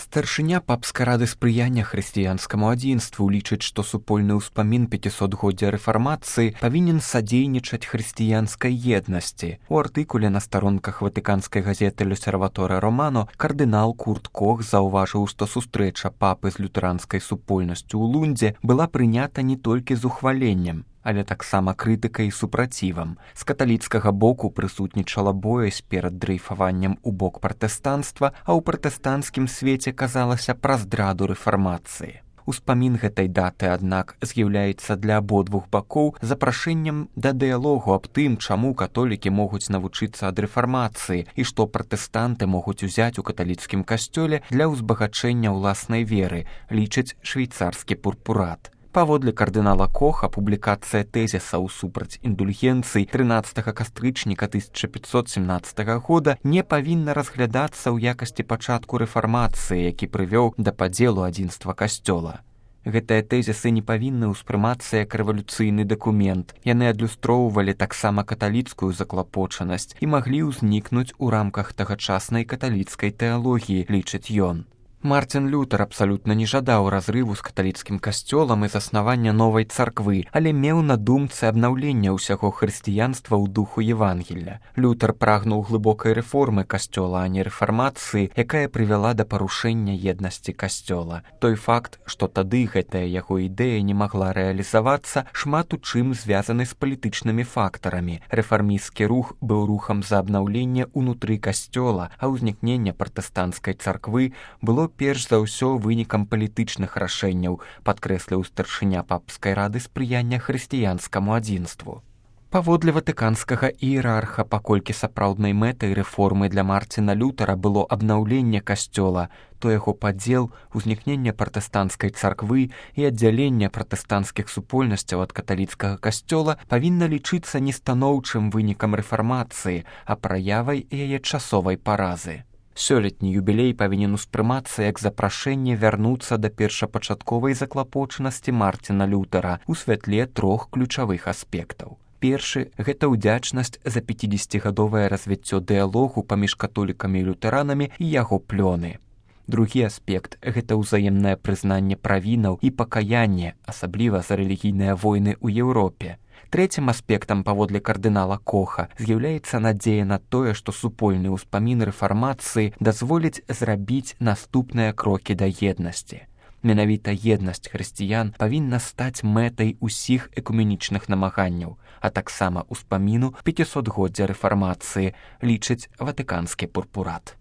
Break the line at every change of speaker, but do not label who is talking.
Старшыня папскай рады спрыяння хрысціянскаму адзінству лічыць, што супольны ўспамін 500годдзя рэфармацыі павінен садзейнічаць хрысціянскай еднасці. У артыкуле на старонках ватыканскай газеты «L'Osservatore Romano» кардынал Курт Кох заўважыў, што сустрэча папы з лютэранскай супольнасцю ў Лундзе была прынята не толькі з ухваленнем, але таксама крытыкай і супрацівам. З каталіцкага боку прысутнічала боязь перад дрейфаваннем у бок пратэстанцтва, а ў пратэстанцкім свеце казалася пра здраду рэфармацыі. Успамін гэтай даты, аднак, з'яўляецца для абодвух бакоў запрашэннем да дыялогу аб тым, чаму католікі могуць навучыцца ад рэфармацыі і што пратэстанты могуць узяць у каталіцкім касцёле для ўзбагачэння ўласнай веры, лічыць швейцарскі пурпурат. Паводле кардынала Коха, публікацыя тэзісаў супраць індульгенцый 13 кастрычніка 1517 года не павінна разглядацца ў якасці пачатку рэфармацыі, які прывёў да падзелу адзінства касцёла. Гэтыя тэзісы не павінны ўспрымацца як рэвалюцыйны дакумент. Яны адлюстроўвалі таксама каталіцкую заклапочанасць і маглі ўзнікнуць у рамках тагачаснай каталіцкай тэалогіі, лічыць ён. Мартин Лютер абсалютна не жадаў разрыву з каталіцкім касцёлам і заснавання новай царквы, але меў на думцы абнаўлення ўсяго хрысціянства ў духу Евангелля. Лютер прагнуў глыбокай рэформы касцёла, а не рэфармацыі, якая прывяла да парушэння еднасці касцёла. Той факт, што тады гэтая яго ідэя не магла рэалізавацца, шмат у чым звязаны з палітычнымі фактарамі. Рэфармісцкі рух быў рухам за абнаўленне ўнутры касцёла, а ўзнікненне пратэстанцкай царквы было перш за ўсё вынікам палітычных рашэнняў, падкрэсліў старшыня папскай рады спрыяння хрысціянскаму адзінству. Паводле ватыканскага іерарха, паколькі сапраўднай мэтай рэформы для Мартина Лютера было абнаўленне касцёла, то яго падзел, узнікненне пратэстанцкай царквы і аддзяленне пратэстанцкіх супольнасцяў ад каталіцкага касцёла павінна лічыцца не станоўчым вынікам рэфармацыі, а праявай яе часовай паразы. Сёлетні юбілей павінен успрымацца як запрашэнне вярнуцца да першапачатковай заклапочанасці Мартина Лютера ў святле трох ключавых аспектаў. Першы – гэта ўдзячнасць за 50гадовае развіццё дыялогу паміж католікамі і лютэранамі і яго плёны. Другі аспект – гэта ўзаемнае прызнанне правінаў і пакаянне, асабліва за рэлігійныя войны ў Еўропе. Трэцім аспектам, паводле кардынала Коха, з'яўляецца надзея на тое, што супольны ўспамін рэфармацыі дазволіць зрабіць наступныя крокі да еднасці. Менавіта еднасць хрысціян павінна стаць мэтай усіх экуменічных намаганняў, а таксама ўспаміну 500годдзя рэфармацыі, лічыць ватыканскі пурпурат.